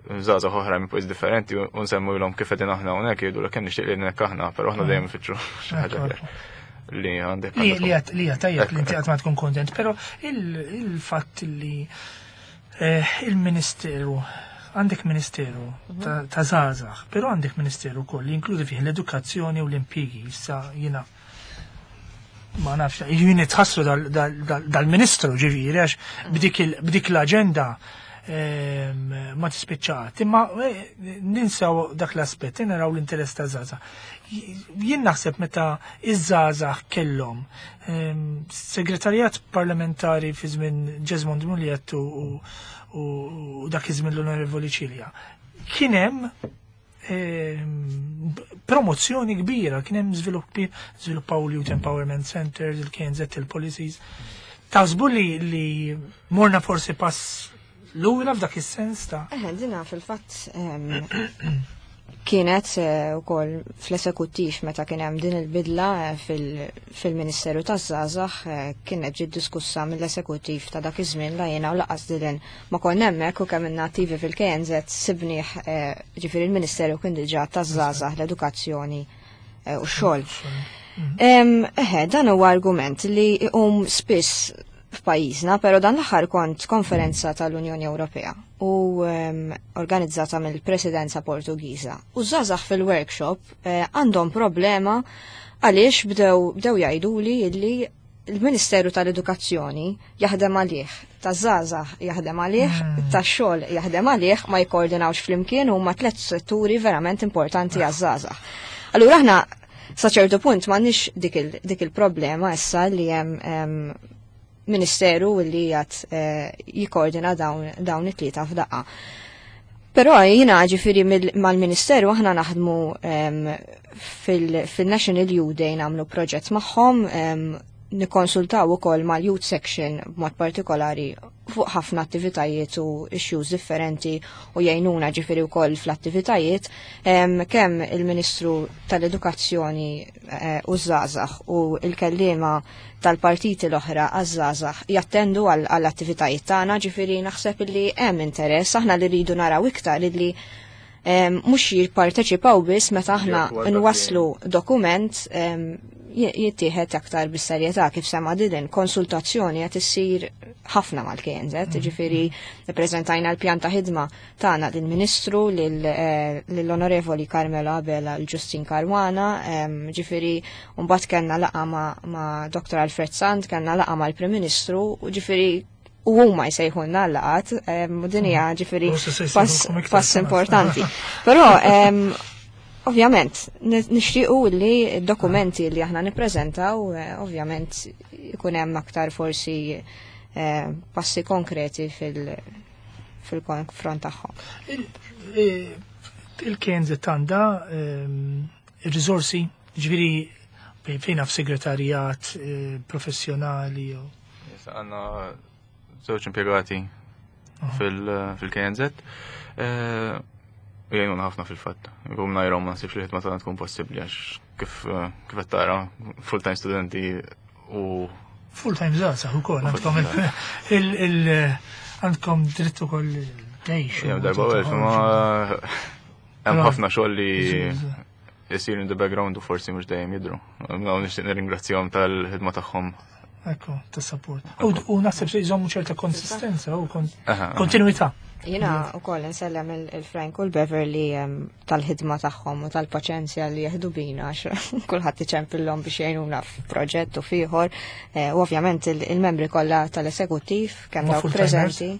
żgħażagħ oħrajn minn pajjiż differenti u nsemmulhom kif qegħdin aħna hawnhekk jgħidu kemm nixtieq li hekk aħna, però aħna dejjem nfittxu xi ħaġa aktar. Li għandek Li, għandek li għat, li għat tajjeb li inti Ekku, qatt ma tkun kontent, però il-, il-fatt li, eh, il-Ministeru, għandek Ministeru ta', ta' żgħażagħ, però għandek Ministeru wkoll li jinkludi fih l-edukazzjoni u l-impjiegi. Issa jiena ma nafx, jien nitħassru dal-, dal-, dal-, dal-Ministru ġifieri għax b'dik il-, b'dik l-aġenda, ehm, ma tispiċċat. Imma, eh, ninsaw dak l-aspett, naraw l-interess ta' żgħażagħ. Jien naħseb meta iż-żgħażagħ kellhom, ehm, segretarjat parlamentari fi żmien Jesmond Mugliett u, u, u dak iż-żmien l-Onorevoli Cilia, kien hemm, ehm, promozzjoni kbira, kien hemm żviluppi, żviluppaw l-Youth Empowerment Centers, il-K N Z, il-policies. Taħsbu li, li morna forsi pass lura f'dak is-sens ta' Eħe, dina fil-fatt, ehm, Kienet ukoll fl-esekuttiv meta kien hemm din il-bidla fil-Ministeru taż-Żgħażagħ, kienet ġiet diskussa mill-esekuttiv ta' dak iż-żmien la jiena u laqas Dylan ma konna hemmhekk, u kemm ilna attivi fil-K N Z sibnieh, ġifieri il-Ministeru kien diġà taż-żgħażagħ, l-edukazzjoni u x-xogħol. Eħe, dan huwa argument li jqum spiss f'pajjiżna, però dan l-aħħar kont konferenza tal-Unjoni Ewropea u um, organizzata mill-Presidenza Portugiża. U żgħażagħ fil-workshop eh, għandhom problema għaliex bdew bdew jgħiduli li il-Ministeru tal-Edukazzjoni jaħdem għalih, taż-żgħażagħ jaħdem għalih, mm. tax-xogħol jaħdem għalih, ma jkoordinawx flimkien, huma tliet setturi verament importanti għaż-żgħażagħ. Allura aħna sa ċertu punt m'għandniex dik il-problema issa li hemm ministeru li jgħat eh, jikkoordina dawn it-tlieta f'daqqa. Però jina ġifiri mal-ministeru aħna naħdmu fil-National Youth Day, nagħmlu proġett magħhom, nikkonsultaw ukoll mal-Youth Section b'mod partikolari fuq ħafna attivitajiet u issues differenti u jgħinuna ġifiri wkoll fl-attivitajiet, kemm il-Ministru tal-Edukazzjoni eh, u żgħażagħ u il-kellima tal-partiti l-oħra għaż-żgħażagħ jattendu għall-attivitajiet tagħna, ġifiri naħseb li hemm interess. Aħna li rridu naraw iktar li mhux jipparteċipaw biss meta aħna nwasslu dokument, jittieħed aktar bis-serjetà. Kif sema Dylan, konsultazzjoni qed issir ħafna mal-K N Z, mm. ġifieri ppreżentajna l-pjan ta' ħidma tagħna lill-Ministru, eh, lill-Onorevoli Carmelo Abela, l-Justin Caruana, ġifieri mbagħad kellna laqgħa ma' Doctor Alfred Sant, kellna laqgħa mal-Prim Ministru, u ġifieri u huma jsejħulna laqgħat, u din hija ġifieri pass importanti. Però ovvjament, nixtiequ li dokumenti li aħna nippreżentaw, eh, ovvjament ikun hemm aktar forsi eh, passi konkreti fil- fil-konfront tagħhom. Il-K N Z għandha ehm, il-riżorsi, ġifieri fejn f'segretarjat eh, professjonali. Għandna żewġ impjegati fil-K N Z. U jgħinuna ħafna fil-fatt. Għum najrom ma nsibx li ħidma tagħna tkun possibbli għax kif kif qed tara, full-time studenti u Full-time żgħażagħ ukoll għandkom il għandkom dritt ukoll tgħix. Darba u ma hemm ħafna xogħol li jsir in the background u forsi mhux dejjem jidru. Nixtieq nirringrazzjahom tal-ħidma tagħhom. Ekku, ta' support. U naħseb se jżommu ċerta konsistenza u kontinuità. Jina u koll nsellem il-Frank u l-Beverly tal-ħidma tagħhom u tal-paċenzja li jieħdu bina, għax kulħadd iċempillhom biex jgħinuna f'proġett u f'ieħor. Eh, u ovvjament il-membri kollha tal-esekuttiv, kemm dawk preżenti.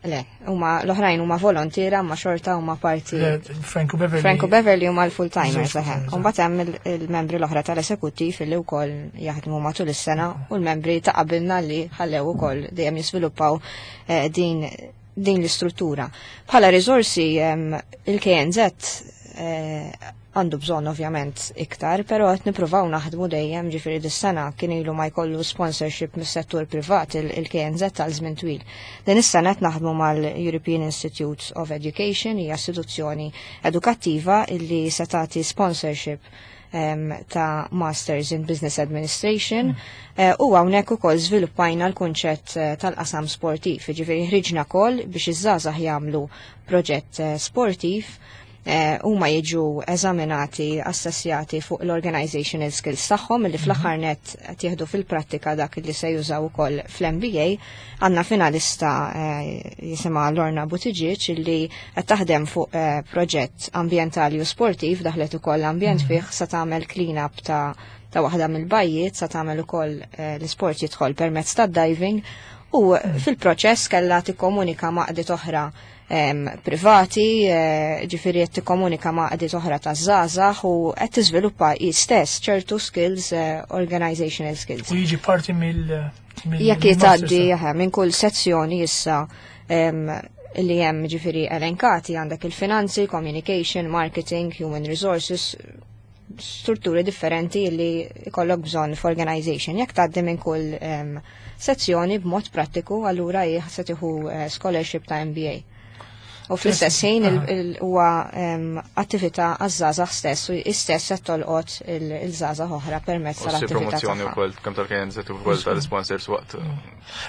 Le, huma l-oħrajn huma volontiera, ma xorta huma parti. Frank u Beverly. Frank u Beverly huma l-full-timers, eħe. U mbagħad hemm il-membri l-oħra tal-esekuttiv li wkoll jaħdmu matul is-sena u l-membri ta' qabilna li ħallew ukoll dejjem jiżviluppaw eh, din din l-istruttura. Bħala riżorsi, il-K N Z eh, għandu bżonn ovvjament iktar, però qed nippruvaw naħdmu dejjem, ġifieri dis-sena kien ilu ma jkollu sponsorship mis-settur privat il-K N Z tal żmien twil. Din is-sena qed naħdmu mal-European Institute of Education, hija istituzzjoni edukattiva illi se tagħti sponsorship um, ta' Masters in Business Administration mm. uh, u hawnhekk ukoll żviluppajna l-kunċett uh, tal-qasam sportiv, ġifieri ħriġna call biex iż-żgħażagħ jagħmlu proġett uh, sportiv, huma jiġu eżaminati, assessjati fuq l-organizational skills tagħhom li fl-aħħar mhm. net qed jieħdu fil-prattika dak li se jużaw ukoll fl-M B A. Għandna finalista jisimha Lorna Buttigieg li qed taħdem fuq proġett ambjentali u sportiv, daħlet ukoll ambjent mhm. fih, sa tagħmel clean up ta' ta' waħda mill-bajjiet, sa tagħmel ukoll l-isport jidħol permezz tad-diving u mhm. fil-proċess kellha tikkomunika ma' għaqdiet oħra privati, eh, ġifiri qed tikkomunika ma' għaqdiet oħra ta' żgħażagħ u qed tiżviluppa hi stess ċertu skills, eh, organizational skills. U jiġi parti mill Jekk jitgħaddi minn kull sezzjoni issa li hemm ġifiri elenkati, għandek il-finanzi, communication, marketing, human resources, strutturi differenti li jkollok bżonn f'organization. Jekk tgħaddi minn kull sezzjoni b'mod prattiku, allura se tieħu eh, scholarship ta' M B A. U fl-istess ħin huwa attività għaż-żgħażagħ stess u istess qed tolqot il-żgħażagħ oħra permezz tal-attività. Promozzjoni wkoll kemm tal-K N Z u wkoll tal-sponsors waqt.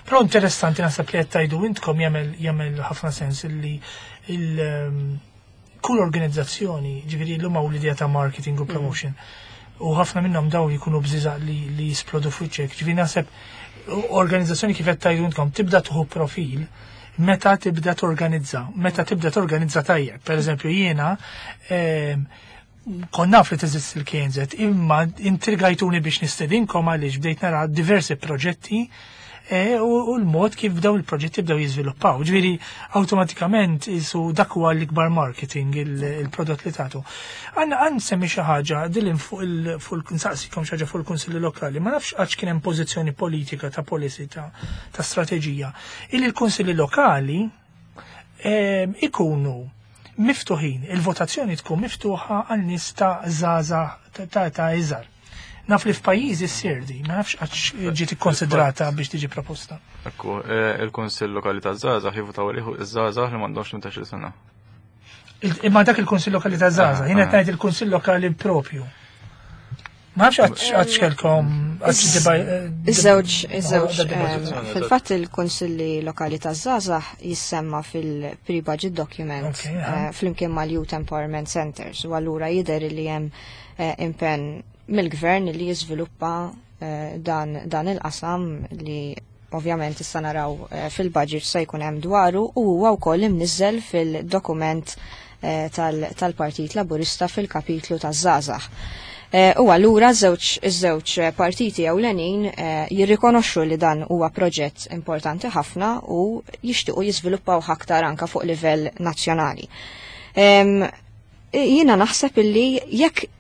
Però interessanti, naħseb li qed tgħidu intkom jagħmel jagħmel ħafna sens illi il kull organizzazzjoni, ġifieri llum hawn l-idea ta' marketing u promotion, u ħafna minnhom daw jkunu bżiżaq li li jisplodu f'wiċċek. Ġifieri naħseb organizzazzjoni, kif qed tgħidu intkom, tibda tieħu profil meta tibda torganizza, meta tibda torganizza tajjeb. Per eżempju, jiena kont naf li teżisti il-K N Z, imma intrigajtuni biex nistedinkom għaliex bdejt nara diversi proġetti e, u l-mod kif bdew il-proġetti bdew jiżviluppaw. Ġifieri awtomatikament isu dak huwa l-ikbar marketing, il-prodott li tagħtu. Għanna għan semmi xi ħaġa dilin fuq il nsaqsikom xi ħaġa fuq il-kunsilli lokali, ma nafx għax kien hemm pożizzjoni politika ta' policy ta' ta' strateġija. Illi l-kunsilli lokali ikunu miftuħin, il-votazzjoni tkun miftuħa għal nies ta' żgħażagħ ta' ta' iżgħar. Naf li f'pajjiżi ssir di, ma nafx għax ġiet ikkonsidrata biex tiġi proposta. Ekku, eh, il-Kunsill Lokali ta' Żgħażagħ jivvutaw għalih iż-żgħażagħ li m'għandhomx tmintax-il sena. Imma dak il-Kunsill Lokali ta' Żgħażagħ, jien qed ngħid il-Kunsill Lokali propju. Ma nafx għax kellkom għax. Iż-żewġ, iż-żewġ, fil-fatt il-Kunsilli Lokali ta' Żgħażagħ jissemma fil-pre-budget document eh, flimkien mal-Youth Empowerment Centers, u allura jidher li hemm eh, impenn mill-gvern li jiżviluppa eh, dan, dan il-qasam li ovvjament issa naraw eh, fil-budget se jkun hemm dwaru, u huwa wkoll imniżżel fil-dokument eh, tal-Partit Laburista fil-kapitlu taż-żgħażagħ. U allura żewġ iż-żewġ partiti ewlenin jirrikonoxxu li dan huwa proġett importanti ħafna u jixtiequ jiżviluppaw aktar anka fuq livell nazzjonali. Jiena naħseb illi jekk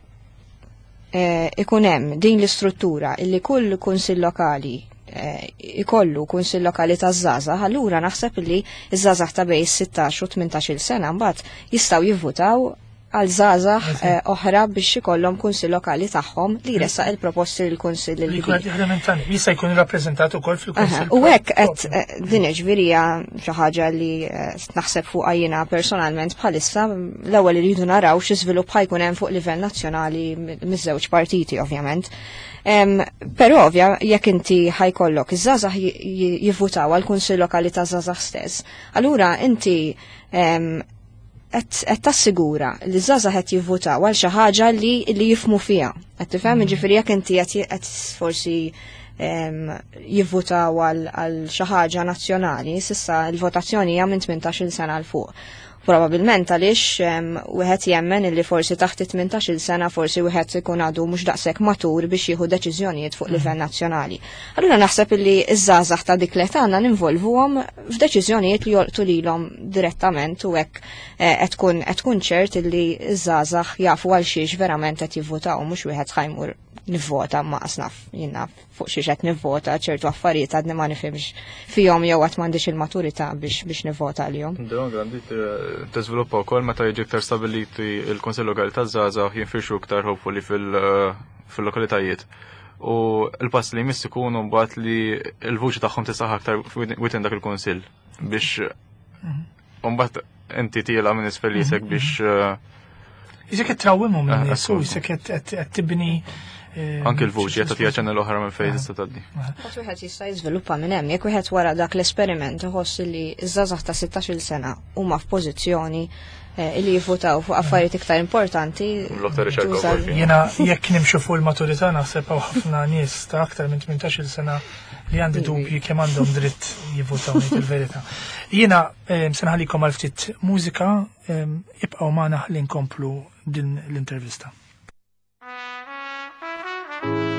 Eh, ikun hemm din l-istruttura illi kull kunsill lokali eh, ikollu kunsill lokali ta' żgħażagħ, allura naħseb illi ż-żgħażagħ ta' bejn sittax u tmintax-il sena mbagħad jistgħu jivvutaw għal żgħażagħ eh, oħra biex ikollhom kunsill lokali tagħhom li jressaq il-proposti lil kunsill il-kbir. Jista' jkun rappreżentat ukoll fil-kunsill. U hekk qed eh, din ġifieri xi ħaġa li eh, naħseb fuqha jiena personalment bħalissa. L-ewwel iridu naraw xi żvilupp ħa jkun hemm fuq livell nazzjonali miż-żewġ partiti, ovvjament. Però ovvja, jekk inti ħa jkollok iż-żgħażagħ jivvutaw għal kunsill lokali ta' żgħażagħ stess, allura inti qed tassigura li żgħażagħ qed jivvutaw għal xi ħaġa li li jifhmu fiha. Qed tifhem? Mm. Ġifieri jekk inti qed forsi jivvutaw għal xi ħaġa nazzjonali, s'issa l-votazzjoni hija minn tmintax-il sena 'l fuq. Probabilment għaliex wieħed jemmen illi forsi taħt tmintax-il sena forsi wieħed ikun għadu mhux daqshekk matur biex jieħu deċiżjonijiet fuq livell mm. nazzjonali. Allura naħseb illi iż-żgħażagħ ta' dik l-età għandna ninvolvuhom f'deċiżjonijiet li jolqtu lilhom direttament, u hekk eh, qed tkun qed tkun ċert illi iż-żgħażagħ jafu għal xiex verament qed jivvutaw, mhux wieħed ħa jmur nivvota ma naf jiena fuq xiex qed nivvota, ċertu affarijiet għadni ma nifhimx fihom jew għad m'għandix il-maturità biex biex nivvota għalihom. Dawn għandi tiżviluppa wkoll meta jiġi iktar stabiliti il-Kunsill Lokali taż-Żgħażagħ, jinfirxu iktar hopefully fil-lokalitajiet. U l-pass li jmiss ikunu mbagħad li l-vuċi tagħhom tisaħ aktar within dak il-kunsill biex mbagħad inti tiela minn isfel jisek biex Jisek qed trawwimhom minn nies u jisek qed tibni. Anki l-vuċi qed tagħtiha channel oħra minn fejn tista' tgħaddi. Mbagħad wieħed jista' jiżviluppa minn hemm, jekk wieħed wara dak l-esperiment iħoss li ż-żgħażagħ ta' sittax-il sena huma f'pożizzjoni eh, li jivvutaw fuq affarijiet iktar importanti. L-aktar riċerka tuża- wkoll. Jiena jekk nimxu fuq il-maturità, naħseb hawn ħafna nies ta' aktar minn tmintax-il sena li għandi dubji kemm għandhom dritt jivvutaw, ngħid il-verità. Jiena eh, se nħallikom għal ftit mużika, eh, ibqgħu magħna ħalli nkomplu din l-intervista. Thank you.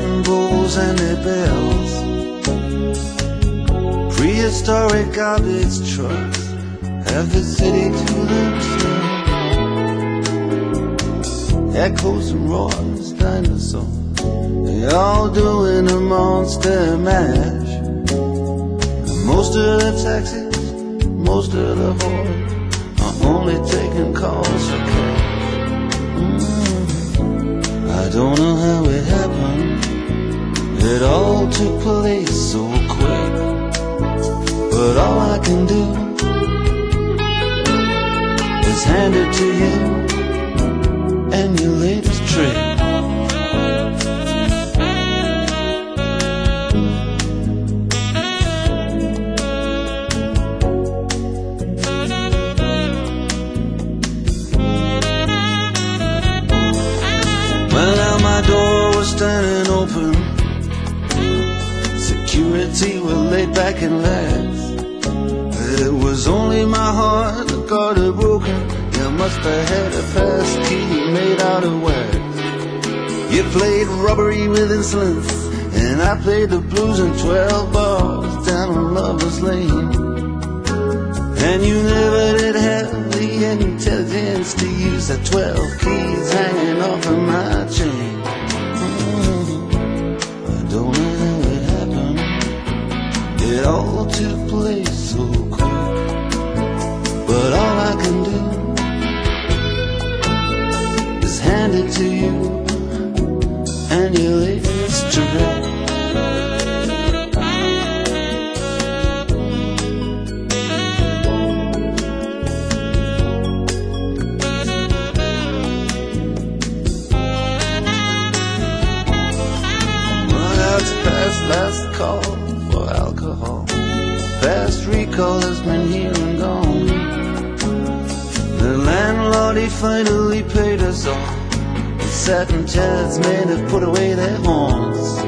Tibetan bulls and their bells, prehistoric garbage trucks have the city to themselves. Echoes and roars, dinosaurs, they all doing a monster mash. And most of the taxis, most of the whores are only taking calls for cash. Mm. I don't know how it happened, it all took place so quick, but all I can do is hand it to you and your latest trick. Well, now my door was standing open, security were laid back and lax. It was only my heart that got it broken. You must have had a pass key made out of wax. You played robbery with insolence, and I played the blues in twelve bars down on Lover's Lane. And you never did have the intelligence to use the twelve keys hanging off of my chain. Mm-hmm. I don't know how it happened, it all took place so quick, but all I can do is hand it to you and your latest trick. Well, it's past last call for alcohol. Fast recall has been here and gone. The landlord, he finally paid us all. The satin Chad's men have put away their horns,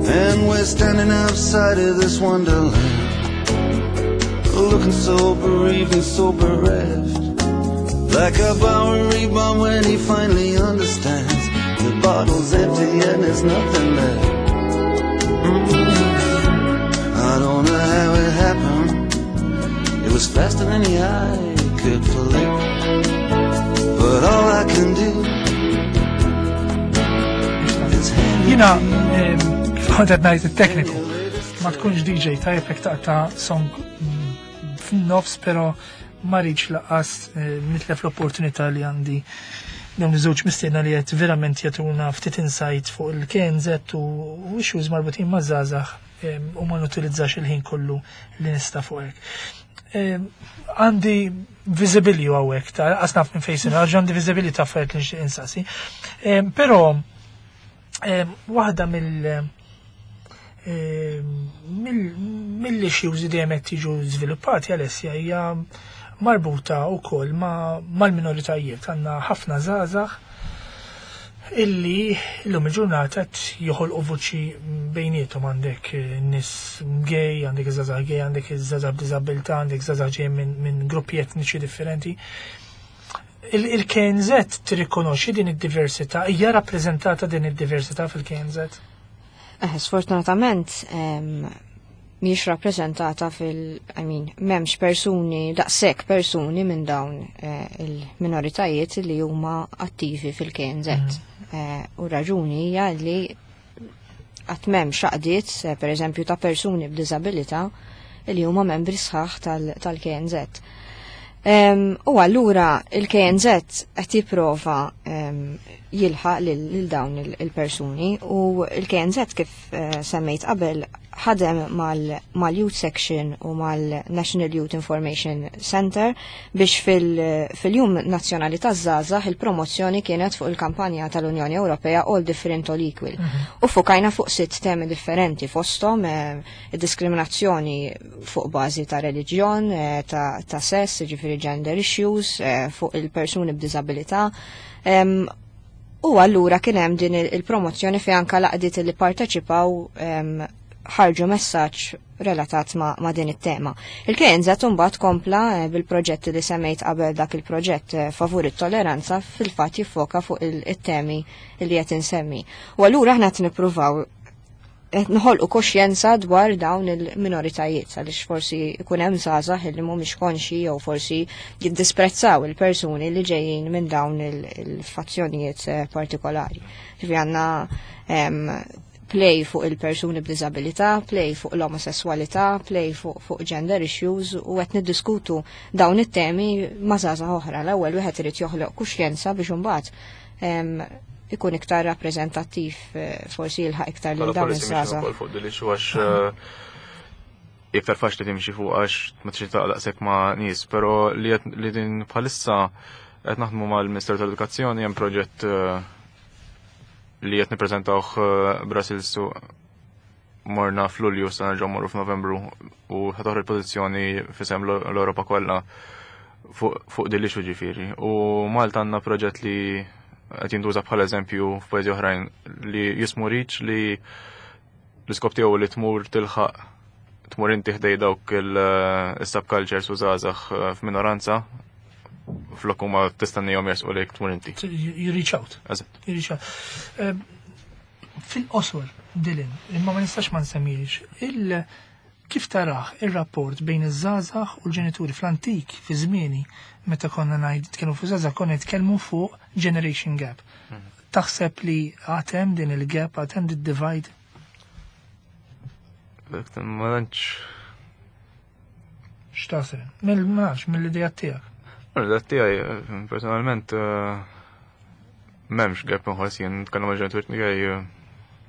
and we're standing outside of this wonderland, looking so bereaved and so bereft, like a Bowery bomb when he finally understands the bottle's empty and there's nothing left. Mm-hmm. I don't know how it happened, it was faster than the eye could flick, but all I can do is hand it Jiena, to you. kif kont qed ngħid it-tekniku, ma tkunx D J tajjeb jekk taqta' song fin-nofs, però ma rridx laqas eh, nitlef l-opportunità li għandi dawn iż-żewġ mistiedna li qed verament jagħtuna ftit insight fuq il-K N Z u issues marbutin ma' żgħażagħ u ma nutilizzax il-ħin kollu li nista' fuq hekk. Għandi visibilju hawnhekk ta' qas naf minn fejn għax għandi visibilju ta' affarijiet li nixtieq insaqsi. Però waħda mill mill-issues li dejjem qed jiġu żviluppati, Alessia, hija marbuta wkoll mal-minoritajiet. Għandna ħafna żgħażagħ illi llum il-ġurnata qed joħolqu vuċi bejniethom. Għandek nies gay, għandek iż-żgħażagħ gay, għandek iż-żgħażagħ b'diżabilità, għandek żgħażagħ ġejjin minn, minn gruppi etniċi differenti. Il-K N Z tirrikonoxxi din id-diversità, hija rappreżentata din id-diversità fil-K N Z? Eh, sfortunatament, mhijiex rappreżentata fil-, I mean, m'hemmx persuni, daqshekk persuni minn dawn eh, il-minoritajiet li huma attivi fil-K N Z. Mm. Eh, u raġuni hija li qatt m'hemmx għaqdiet, eh, per eżempju, ta' persuni b'diżabilità li huma membri sħaħ tal-K N Z. U allura il-K N Z qed jipprova jilħaq lil dawn il-persuni u il-K N Z, kif eh, semmejt qabel, ħadem mal-Youth Section u mal-National Youth Information Center biex fil-Jum Nazzjonali taż-Żgħażagħ il-promozzjoni kienet fuq il-kampanja tal-Unjoni Ewropea All Different All Equal. Mhm. U fukajna fuq sitt temi differenti, fosthom eh, diskriminazzjoni fuq bażi ta' reliġjon, eh, ta' sess, ġifieri gender issues, fuq il-persuni b'diżabilità. U allura kien hemm din il-promozzjoni fi anka l-għaqdiet li parteċipaw ħarġu messaġġ relatat ma, ma din it-tema. Il-K N Z mbagħad kompla eh, bil-proġetti li semmejt qabel, dak il-proġett eh, favur it-toleranza fil-fatt jiffoka fuq il-temi li qed insemmi. U allura aħna qed nippruvaw qed noħolqu koxjenza dwar dawn il-minoritajiet, għaliex forsi ikun hemm żgħażagħ li mhumiex konxi jew forsi jiddisprezzaw il-persuni li ġejjin minn dawn il-fazzjonijiet eh, partikolari. Ġifieri għandna play fuq il-persuni b'diżabilità, play fuq l-omosessualità, play fuq, fuq gender issues u qed niddiskutu dawn it-temi ma' żgħażagħ oħra. L-ewwel wieħed irid joħloq kuxjenza biex imbagħad ikun iktar rappreżentattiv, eh, forsi jilħaq iktar lil dawn iż-żgħażagħ. Fuq din għax eh, iktar faċli timxi fuq għax ma trid taqlaqsek ma' nies, però li li din bħalissa qed naħdmu mal-Ministeru tal-Edukazzjoni, hemm proġett eh, li qed nippreżentawh Brussels u morna f'Lulju, sa nerġgħu morru f'Novembru u ħa toħroġ pożizzjoni f'isem l-Ewropa kollha fuq din l-issue ġifieri. U Malta għandna proġett li qed jintuża bħala eżempju f'pajjiżi oħrajn li jismu Reach, li l-iskop tiegħu li tmur tilħaq, tmur inti ħdej dawk il-subcultures u żgħażagħ eh, f'minoranza flok huma tistennihom jersqu lejk, tmur inti. You reach out. Eżatt. You reach out. Eh, fil-qosor, Dylan, imma ma nistax ma nsemmix, il kif taraħ il-rapport bejn iż-żgħażagħ u l-ġenituri? Fl-antik, fi żmieni, meta konna ngħid nitkellmu fuq żgħażagħ, konna nitkellmu fuq generation gap. Mhm. Taħseb li għad hemm din il-gap, għad hemm din divide? Ma tantx. X'taħseb? Mill-max, mill-idea tiegħek. Mill-idea tiegħi, personalment, eh, m'hemmx gap nħoss jien, nitkellem mal-ġenituri tiegħi,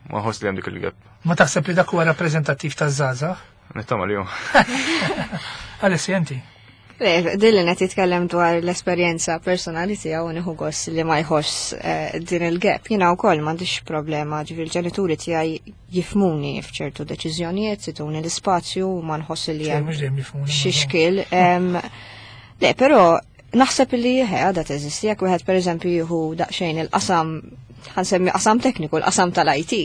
ma nħoss li hemm dik il-gap. Ma taħseb li dak huwa rappreżentattiv taż-żgħażagħ? Nittama li hu. Alessia, inti? Le, Dylan qed jitkellem dwar l-esperjenza personali tiegħu, nieħu gost li ma jħoss eh, din il-gap. Jiena wkoll m'għandix problema, ġifieri l-ġenituri tiegħi jifhmuni f'ċertu deċiżjonijiet, jtuni l-ispazju u ma nħoss li hemm Mhux dejjem jifhmuni. xi xkil. Em, Le, però naħseb li he għadha teżisti, jekk wieħed pereżempju jieħu daqsxejn il-qasam, ħa nsemmi qasam tekniku, l-qasam tal-I T.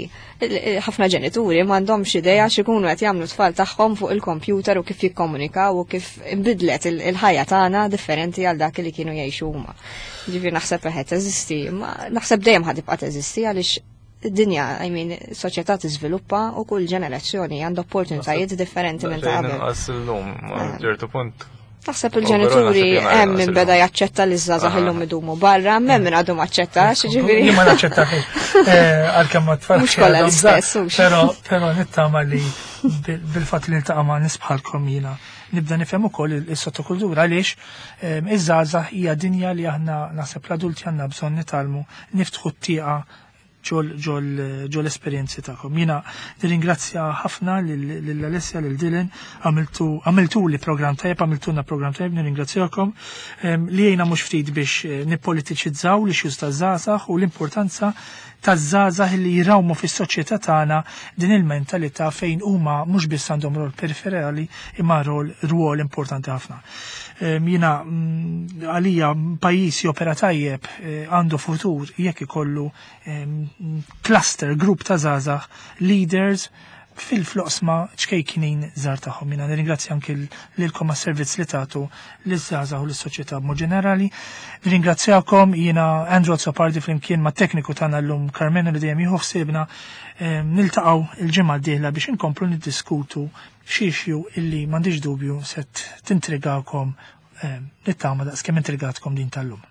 Ħafna ġenituri m'għandhomx idea x'ikunu qed jagħmlu tfal tagħhom fuq il-kompjuter u kif jikkomunikaw u kif inbidlet il-ħajja tagħna differenti għal dak li kienu jgħixu huma. Ġifieri naħseb qed teżisti, ma naħseb dejjem ħa tibqa' teżisti għaliex id-dinja, I mean, soċjetà tiżviluppa u kull ġenerazzjoni għandha opportunitajiet differenti minn ta' qabel. Inqas illum, ma ċertu punt. Naħseb il-ġenituri hemm min beda jaċċetta li żgħażagħ illum idumu barra, hemm min għadu maċċettax, ġifieri. Jien ma naċċettax. Eh, għalkemm ma tfal. Mhux kollha l-istess, hux. Però però nittama li bil- bil-fatt li niltaqa' ma' nies bħalkom jiena nibda nifhem ukoll is-sottokultura, għaliex ehm, iż-żgħażagħ hija dinja li aħna, naħseb l-adulti, għandna bżonn nitgħallmu niftħu t-tieqa ġol ġol ġol esperjenzi tagħkom. Jiena nirringrazzja ħafna lil Alessia, lil Dylan, għamiltu għamiltu li program tajjeb, għamiltulna program tajjeb, nirringrazzjakom Em, li jgħinna mhux ftit biex eh, nippolitiċizzaw l-issues taż-żgħażagħ u l-importanza taż-żgħażagħ li jrawmu fis-soċjetà tagħna din il-mentalità fejn huma mhux biss għandhom rol periferali imma rol rwol importanti ħafna. Em, Jiena mm, għalija pajjiż jopera tajjeb, eh, għandu futur jekk ikollu em, cluster, grupp ta' żgħażagħ leaders fil-oqsma ċkejkinin żgħar tagħhom. Jiena nirringrazzja anke lilkom għas-servizz li tagħtu liż-żgħażagħ u lis-soċjetà b'mod ġenerali. Nirringrazzjakom, jiena Andrew Azzopardi flimkien ma' tekniku tagħna llum Carmenu li dejjem jieħu ħsiebna. Em, Niltaqgħu il-ġimgħa d-dieħla biex inkomplu niddiskutu xi issue illi m'għandix dubju se tintrigakom, em, nittama daqs kemm intrigatkom din tal-lum.